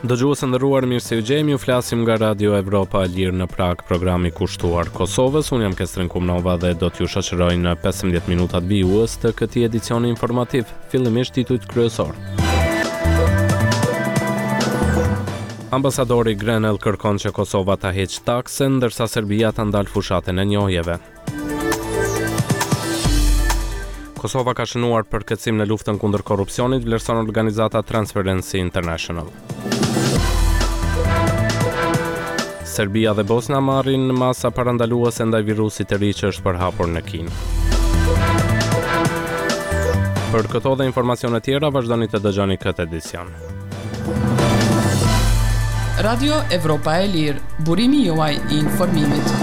Dëgjues të nderuar, mirë se ju gjejmë. Ju flasim nga Radio Evropa e Lirë në Pragë, programi kushtuar Kosovës. Unë jam Kestrin Kumnova dhe do t'ju shoqëroj në 15 minutat vijues të këtij edicioni informativ. Fillimisht titujt kryesorë. Ambasadori Grenell kërkon që Kosova ta heqë taksën, ndërsa Serbia ta ndalë fushatën e njohjeve. Kosova ka shënuar përkeqësim në luftën kundër korrupsionit, vlerëson organizata Transparency International. Serbia dhe Bosna marrin masa parandaluese ndaj virusit të ri që është përhapur në Kinë. Për këto dhe informacione tjera vazhdoni të dëgjoni këtë edicion. Radio Evropa e Lirë, burimi juaj i informimit.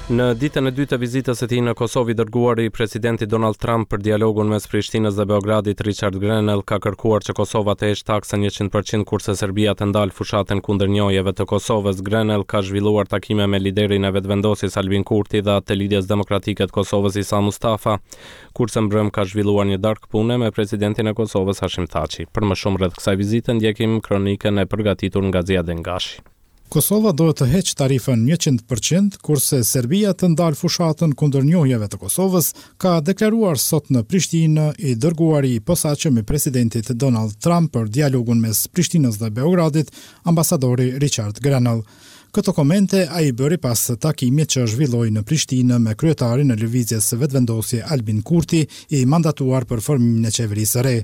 Në ditën e dytë të vizitës së tij në Kosovë, i dërguari i presidentit Donald Trump për dialogun mes Prishtinës dhe Beogradit, Richard Grenell, ka kërkuar që Kosova të heqë taksën 100% kurse Serbia të ndalë fushatën kundër njohjeve të Kosovës. Grenell ka zhvilluar takime me liderin e Vetëvendosjes Albin Kurti dhe atë të Lidhjes Demokratike të Kosovës Isa Mustafa. Kurse mbrëmë ka zhvilluar një darkë pune me presidentin e Kosovës, Hashim Thaçi. Për më shumë rreth kësaj vizite ndjekim kronikën e përgatitur nga Ziadin Gashi. Kosova duhet të heqë tarifën 100%, kurse Serbia të ndalë fushatën kundër njohjeve të Kosovës, ka deklaruar sot në Prishtinë i dërguari i posaçëm i presidentit Donald Trump për dialogun mes Prishtinës dhe Beogradit, ambasadori Richard Grenell. Këto komente ai i bëri pas takimit që zhvilloi në Prishtinë me kryetarin e Lëvizjes Vetëvendosje Albin Kurti, i mandatuar për formimin e qeverisë së re.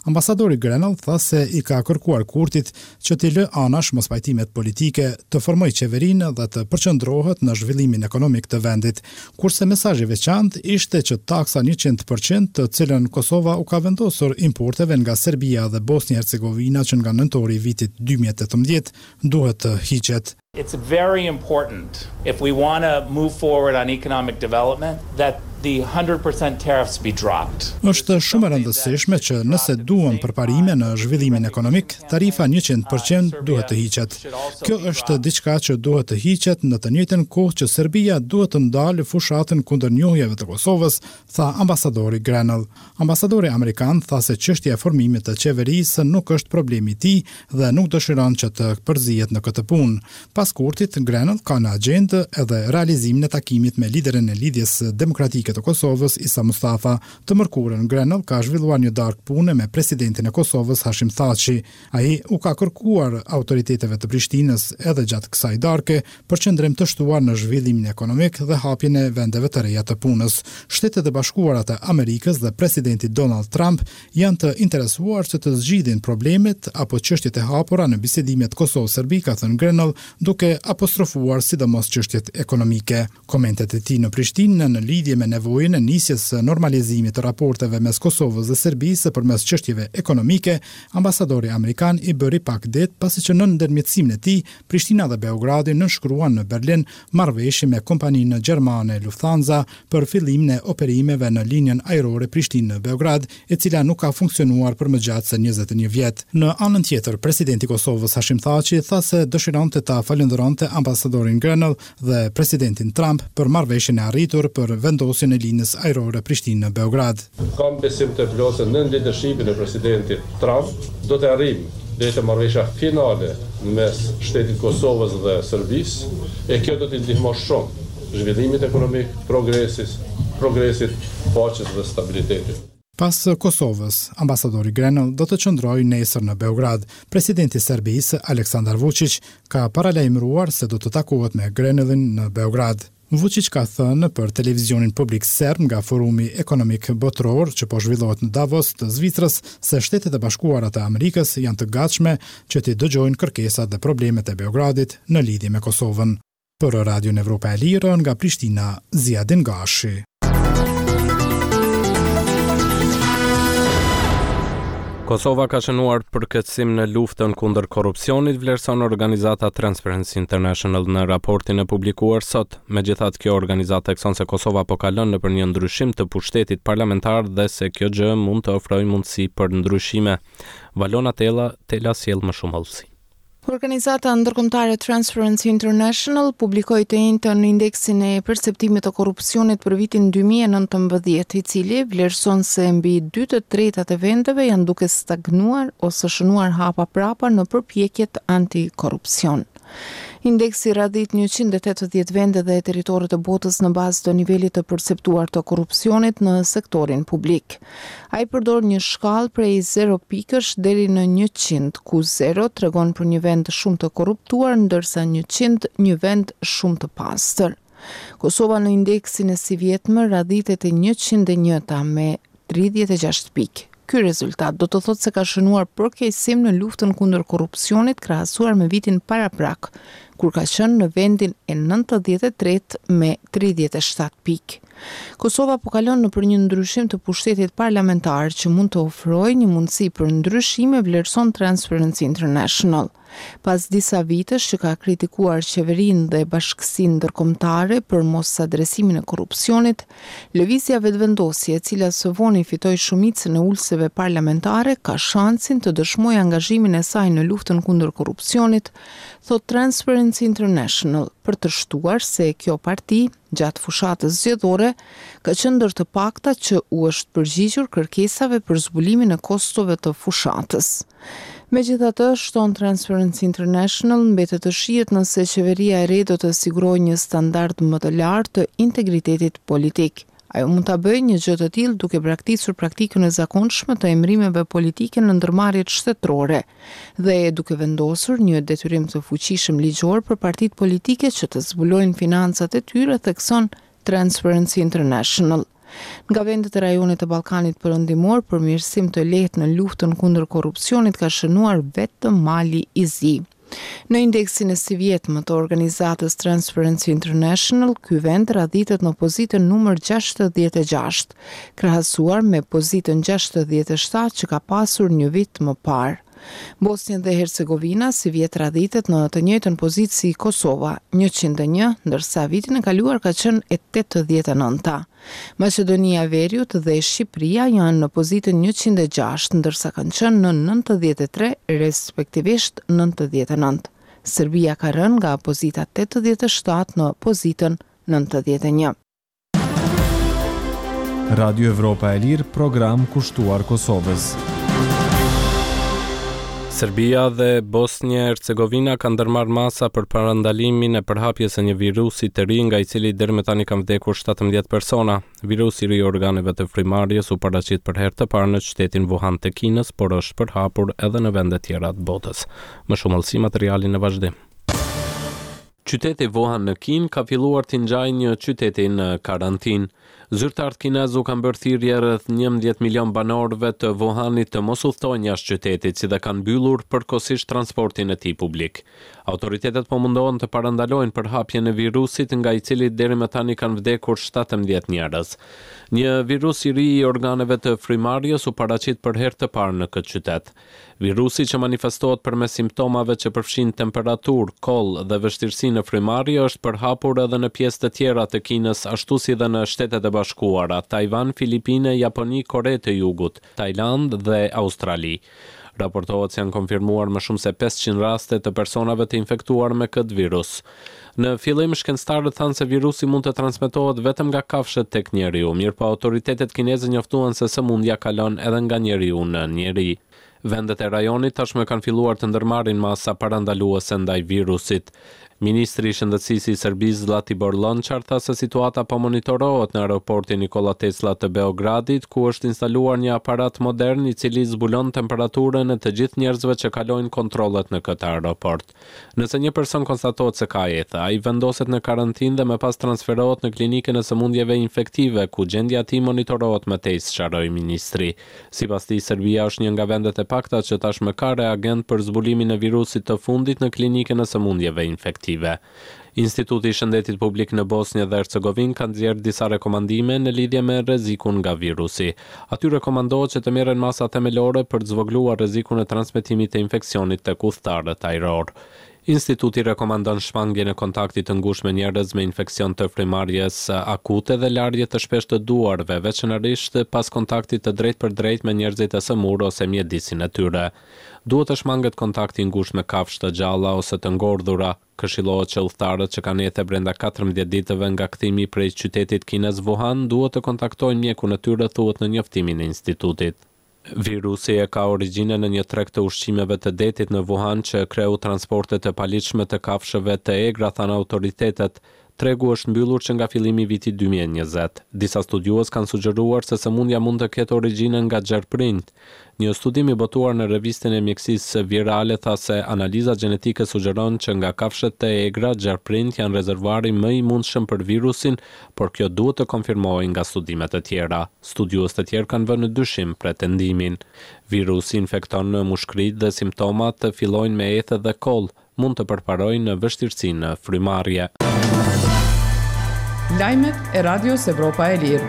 Ambasadori Grenell tha se i ka kërkuar Kurtit që t'i lë anash mospajtimet politike, të formojë qeverinë dhe të përqendrohet në zhvillimin ekonomik të vendit. Kurse mesazh i veçantë ishte që taksa 100% të cilën Kosova u ka vendosur importeve nga Serbia dhe Bosnjë-Hercegovina që nga nëntori i vitit 2018, duhet të hiqet. It's very important if we want to move forward on economic development that the 100% tariffs be dropped. Është shumë e rëndësishme që nëse duam përparime në zhvillimin ekonomik, tarifa 100% duhet të hiqet. Kjo është diçka që duhet të hiqet në të njëjtën kohë që Serbia duhet të ndalë fushatën kundër njohjeve të Kosovës, tha ambasadori Grenell. Ambasadori amerikan tha se çështja e formimit të qeverisë nuk është problemi i tij dhe nuk dëshiron që të përzihet në këtë punë. Pas Kurtit, Grenell ka në agjendë edhe realizimin e takimit me liderin e Lidhjes Demokratike të Kosovës, Isa Mustafa. Të mërkurën, Grenell ka zhvilluar një darkë pune me presidentin e Kosovës, Hashim Thaçi. Ai u ka kërkuar autoriteteve të Prishtinës edhe gjatë kësaj darke përqendrim të shtuar në zhvillimin ekonomik dhe hapjen e vendeve të reja të punës. Shtetet e Bashkuara të Amerikës dhe presidenti Donald Trump janë të interesuar që të zgjidhin problemet apo çështjet e hapura në bisedimet Kosovë-Serbi, ka thënë Grenell, duke apostrofuar sidomos çështjet ekonomike. Komentet e tij në Prishtinë në lidhje me nevojën e nisjes së normalizimit të raporteve mes Kosovës dhe Serbisë përmes çështjeve ekonomike, ambasadori amerikan i bëri pak ditë pasi që nën ndërmjetësimin e tij, Prishtina dhe Beogradi nënshkruan në Berlin marrëveshje me kompaninë gjermane Lufthansa për fillimin e operimeve në linjën ajrore Prishtinë-Beograd, e cila nuk ka funksionuar për më gjatë se 21 vjet. Në anën tjetër, presidenti i Kosovës Hashim Thaçi tha se dëshironte ta falënderonte ambasadorin Grenell dhe presidentin Trump për marrëveshjen e arritur për vendosjen e linjës ajrore Prishtinë-Beograd. Kam besim të plotë se nën lidershipin e presidentit Trump do të arrijmë deri te marrëveshja finale në mes shtetit të Kosovës dhe Serbisë, e kjo do t'i ndihmojë shumë zhvillimit ekonomik, progresit, progresit, paqes dhe stabilitetit. Pas Kosovës, ambasadori Grenell do të qëndrojë nesër në Beograd. Presidenti i Serbisë, Aleksandar Vučić, ka paralajmëruar se do të takohet me Grenellin në Beograd. Vučić ka thënë për televizionin publik serb nga Forumi Ekonomik Botëror që po zhvillohet në Davos të Zvicrës se Shtetet e Bashkuara të Amerikës janë të gatshme që t'i dëgjojnë kërkesat dhe problemet e Beogradit në lidhje me Kosovën. Për Radion Evropa e Lirë nga Prishtina, Ziadin Gashi. Kosova ka shënuar përkeqësim në luftën kundër korrupsionit, vlerëson organizata Transparency International në raportin e publikuar sot. Megjithatë, kjo organizatë thekson se Kosova po kalon nëpër një ndryshim të pushtetit parlamentar dhe se kjo gjë mund të ofrojë mundësi për ndryshime. Valona Tela, Tela sjell më shumë hollësi. Organizata ndërkombëtare Transparency International publikoi të enjten indeksin e perceptimit të korrupsionit për vitin 2019, i cili vlerëson se mbi dy të tretat e vendeve janë duke stagnuar ose shënuar hapa prapa në përpjekjet antikorrupsion. Indeksi radhit 180 vende dhe territore të botës në bazë të nivelit të perceptuar të korrupsionit në sektorin publik. Ai përdor një shkallë prej zero pikësh deri në 100, ku zero tregon për një vend shumë të korruptuar, ndërsa 100 një vend shumë të pastër. Kosova në indeksin e sivjetmë radhitet e 101-ta me 36 pikë. Ky rezultat do të thotë se ka shënuar përkeqësim në luftën kundër korrupsionit krahasuar me vitin paraprak, kur ka qenë në vendin e 93 me 37 pikë. Kosova po kalon nëpër një ndryshim të pushtetit parlamentar që mund të ofrojë një mundësi për ndryshime, vlerëson Transparency International. Pas disa vitesh që ka kritikuar qeverinë dhe bashkësinë ndërkombëtare për mosadresimin e korrupsionit, Lëvizja Vetëvendosje, e cila së voni fitoi shumicën e ulëseve parlamentare, ka shansin të dëshmojë angazhimin e saj në luftën kundër korrupsionit, thotë Transparency International, për të shtuar se kjo parti, gjatë fushatës zgjedhore, ka qenë ndër të paktat që u është përgjigjur kërkesave për zbulimin e kostove të fushatës. Megjithatë, shton Transparency International, mbetet të shihet nëse qeveria e re do të sigurojë një standard më të lartë të integritetit politik. Ajo mund ta bëjë një gjë të tillë duke braktisur praktikën e zakonshme të emërimeve politike në ndërmarrjet shtetërore dhe duke vendosur një detyrim të fuqishëm ligjor për partitë politike që të zbulojnë financat e tyre, thekson Transparency International. Nga vendet e rajonit të Ballkanit Perëndimor, përmirësim të lehtë në luftën kundër korrupsionit ka shënuar vetëm Mali i Zi. Në indeksin e sivjetmë të organizatës Transparency International, ky vend radhitet në pozitën numër 66, krahasuar me pozitën 67 që ka pasur një vit më parë. Bosnjë dhe Hercegovina sivjet radhitet në të njëjtën pozitë si Kosova, 101, ndërsa vitin e kaluar ka qenë e 89-ta. Maqedonia e Veriut dhe Shqipëria janë në pozitën 106, ndërsa kanë qenë në 93, respektivisht 99. Serbia ka rënë nga pozita 87 në pozitën 91. Radio Evropa e Lirë, program kushtuar Kosovës. Serbia dhe Bosnjë e Hercegovina kanë ndërmarrë masa për parandalimin e përhapjes së një virusi të ri nga i cili deri më tani kanë vdekur 17 persona. Virusi i ri i organeve të frymëmarrjes u paraqit për herë të parë në qytetin Wuhan të Kinës, por është përhapur edhe në vende tjera të botës. Më shumë hollësi materiali në vazhdim. Qyteti Wuhan në Kinë ka filluar t'i ngjajë një qyteti në karantinë. Zyrtarët kinezë u kanë bërë thirrje rreth 11 milionë banorëve të Wuhanit të mos udhëtojnë jashtë qytetit, si dhe kanë mbyllur përkohësisht transportin e tij publik. Autoritetet po mundohen të parandalojnë përhapjen e virusit, nga i cili deri më tani kanë vdekur 17 njerëz. Një virus i ri i organeve të frymëmarrjes u paraqit për herë të parë në këtë qytet. Virusi që manifestohet përmes simptomave që përfshijnë temperaturë, kollë dhe vështirësi në frymëmarrje është përhapur edhe në pjesë të tjera të Kinës ashtu si dhe në Shtetet e Bashkuara, Tajvan, Filipine, Japoni, Kore të Jugut, Tajlandë dhe Australi. Raportohet se janë konfirmuar më shumë se 500 raste të personave të infektuar me këtë virus. Në fillim, shkencëtarët thanë se virusi mund të transmetohet vetëm nga kafshët tek njeriu, mirëpo autoritetet kineze njoftuan se sëmundja kalon edhe nga njeriu në njeri. Vendet e rajonit tashmë kanë filluar të ndërmarrin masa parandaluese ndaj virusit. Ministri i Shëndetësisë i Serbisë, Zlatibor Lonçar, tha se situata po monitorohet në aeroportin Nikola Tesla të Beogradit, ku është instaluar një aparat modern i cili zbulon temperaturën e të gjithë njerëzve që kalojnë kontrollet në këtë aeroport. Nëse një person konstatohet se ka ethe, ai vendoset në karantinë dhe më pas transferohet në klinikën e sëmundjeve infektive, ku gjendja e tij monitorohet më tej, sqaroi ministri. Sipas tij, Serbia është një nga vendet e pakta që tashmë ka reagent për zbulimin e virusit të fundit në klinikën e sëmundjeve infektive. Instituti i Shëndetit Publik në Bosnjë dhe Hercegovinë ka nxjerrë disa rekomandime në lidhje me rrezikun nga virusi. Aty rekomandohet që të merren masa themelore për të zvogëluar rrezikun e transmetimit të infeksionit tek udhëtarët ajrorë. Instituti rekomandon shmangien e kontaktit të ngushtë me njerëz me infeksion të frymëmarrjes akute dhe larje të shpeshtë të duarve, veçanërisht pas kontaktit të drejtpërdrejtë me njerëzit e sëmurë ose mjedisin e tyre. Duhet të shmanget kontakti i ngushtë me kafshë të gjalla ose të ngordhura. Këshillohet që udhëtarët që kanë ethe brenda 14 ditëve nga kthimi prej qytetit kinez Wuhan duhet të kontaktojnë mjekun e tyre, thuhet në njoftimin e institutit. Virusi e ka origjinën në një treg të ushqimeve të detit në Wuhan që kreu transporte të paligjshme të kafshëve të egra, thanë autoritetet. Tregu është mbyllur që nga fillimi i vitit 2020. Disa studiues kanë sugjeruar se sëmundja mund të ketë origjinën nga gjarpërinjtë. Një studim i botuar në revistën e mjekësisë virale tha se analiza gjenetike sugjeron që nga kafshët e egra, gjarpërinjtë janë rezervuari më i mundshëm për virusin, por kjo duhet të konfirmohej nga studime të tjera. Studiues të tjerë kanë vënë në dyshim pretendimin. Virusi infekton mushkëritë dhe simptomat fillojnë me ethe dhe kollë, mund të përparojnë në vështirësi në frymëmarrje. Lajmet e Radios Evropa e Lirë.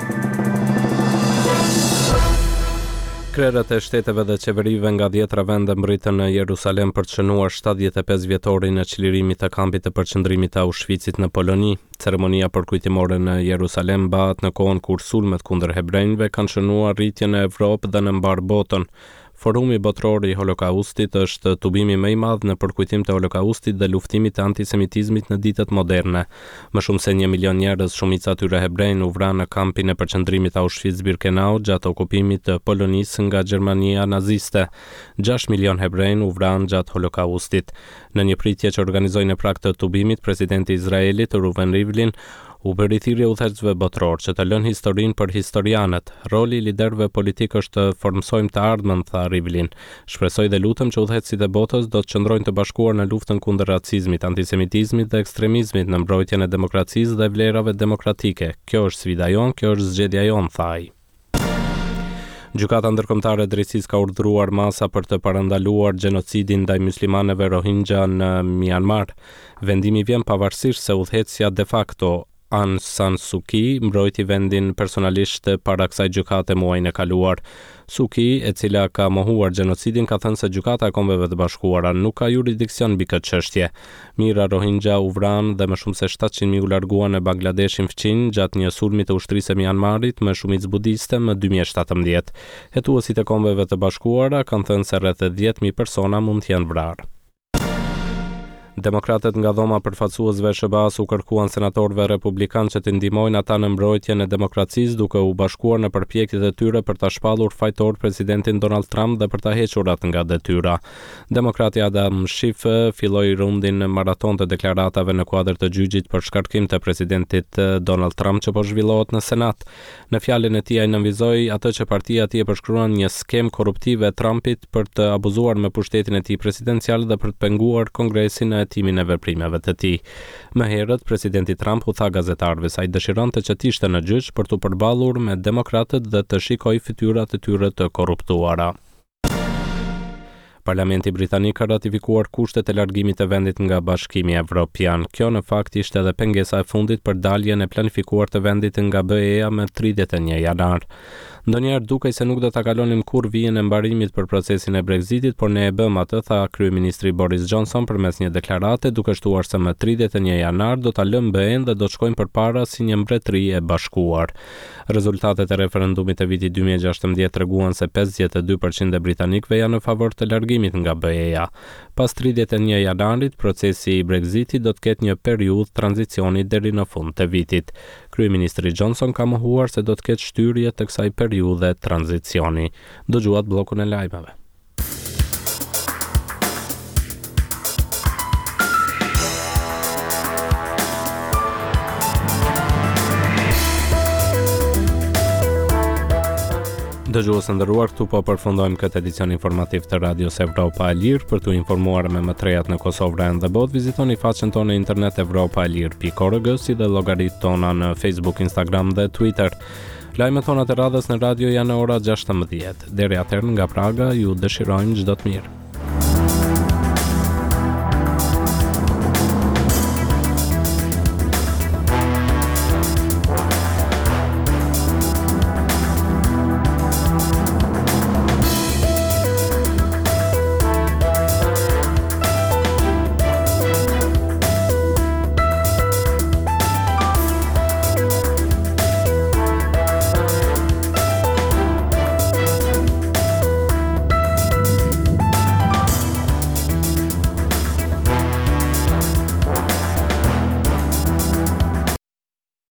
Krerët e shteteve dhe qeverive nga dhjetra vende mbërritën në Jerusalem për të shënuar 75 vjetorin e çlirimit të kampit të përqendrimit të Auschwitzit në Poloni. Ceremonia përkujtimore në Jerusalem mbahet në kohën kur sulmet kundër hebrenjve kanë shënuar rritje në Evropë dhe në mbarë botën. Forumi Botëror i Holokaustit është tubimi më i madh në përkujtim të Holokaustit dhe luftimit të antisemitizmit në ditët moderne. Më shumë se një milion njerëz, shumica e tyre hebrenj, u vranë në kampin e përqendrimit Auschwitz-Birkenau gjatë okupimit të Polonisë nga Gjermania naziste. 6 milion hebrenj u vranë gjatë Holokaustit. Në një pritje që organizoi në prag të tubimit, presidenti i Izraelit, Reuven Rivlin, u bëri thirrje udhëheqësve botërorë që të lënë historinë për historianët. Roli i liderëve politikë është të formësojmë të ardhmen, tha Rivlin. Shpresoj dhe lutem që udhëheqësit e botës do të qëndrojnë të bashkuar në luftën kundër racizmit, antisemitizmit dhe ekstremizmit në mbrojtjen e demokracisë dhe vlerave demokratike. Kjo është sfida jonë, kjo është zgjedhja jonë, tha ai. Gjykata Ndërkombëtare e Drejtësisë ka urdhëruar masa për të parandaluar gjenocidin ndaj myslimanëve Rohingya në Myanmar. Vendimi vjen pavarësisht se udhëheqësja de facto Aung San Suu Kyi mbrojti vendin personalisht para kësaj gjykate muajin e kaluar. Suu Kyi, e cila ka mohuar gjenocidin, ka thënë se Gjykata e Kombeve të Bashkuara nuk ka juridiksion mbi këtë çështje. Mijëra Rohingya u vranë dhe më shumë se 700.000 u larguan në Bangladeshin fqinj gjatë një sulmi të ushtrisë së Myanmarit me shumicë budiste më 2017. Hetuesit e Kombeve të Bashkuara kanë thënë se rreth 10.000 persona mund të jenë vrarë. Demokratët nga dhoma e përfaqësuesve e SHBA-së u kërkuan senatorëve republikanë që të ndihmojnë ata në mbrojtjen e demokracisë duke u bashkuar në përpjekjet e tyre për ta shpallur fajtor presidentin Donald Trump dhe për ta hequr atë nga detyra. Demokrati Adam Schiff filloi rundin maraton të deklaratave në kuadër të gjyqit për shkarkim të presidentit Donald Trump që po zhvillohet në Senat. Në fjalën e tij ai nënvizoi atë që partia e tij e përshkruan një skemë korruptive e Trumpit për të abuzuar me pushtetin e tij presidencial dhe për të penguar Kongresin në hetimin e veprimeve të tij. Më herët, presidenti Trump u tha gazetarëve se ai dëshironte që të ishte në gjyq për t'u përballur me demokratët dhe të shikojë fytyrat e tyre të korruptuara. Parlamenti britanik ka ratifikuar kushtet e largimit të vendit nga Bashkimi Evropian. Kjo në fakt ishte edhe pengesa e fundit për daljen e planifikuar të vendit nga BE-ja më 31 janar. Ndonjëherë dukej se nuk do ta kalonim kurrë vijën e mbarimit për procesin e Brexitit, por ne e bëmë atë, tha kryeministri Boris Johnson përmes një deklarate, duke shtuar se më 31 janar do ta lëmë BE-n dhe do të shkojmë përpara si një mbretëri e bashkuar. Rezultatet e referendumit të vitit 2016 treguan se 52% e britanikëve janë në favor të largimit nga BE-ja. Pas 31 janarit, procesi i Brexitit do të ketë një periudhë tranzicioni deri në fund të vitit. Kryeministri Johnson ka mohuar se do të ketë shtyrje të kësaj periudhe tranzicioni. Dëgjuat bllokun e lajmeve. Dëgjues të nderuar, këtu po përfundojmë këtë edicion informativ të Radios Evropa e Lirë. Për t'u informuar me më të rejat në Kosovë, rajon dhe botë, vizitoni faqen tonë në internet evropaelire.org si dhe llogaritë tona në Facebook, Instagram dhe Twitter. Lajmet tona të radhës në radio janë në ora 16. Deri atëherë nga Praga ju dëshirojmë çdo të mirë.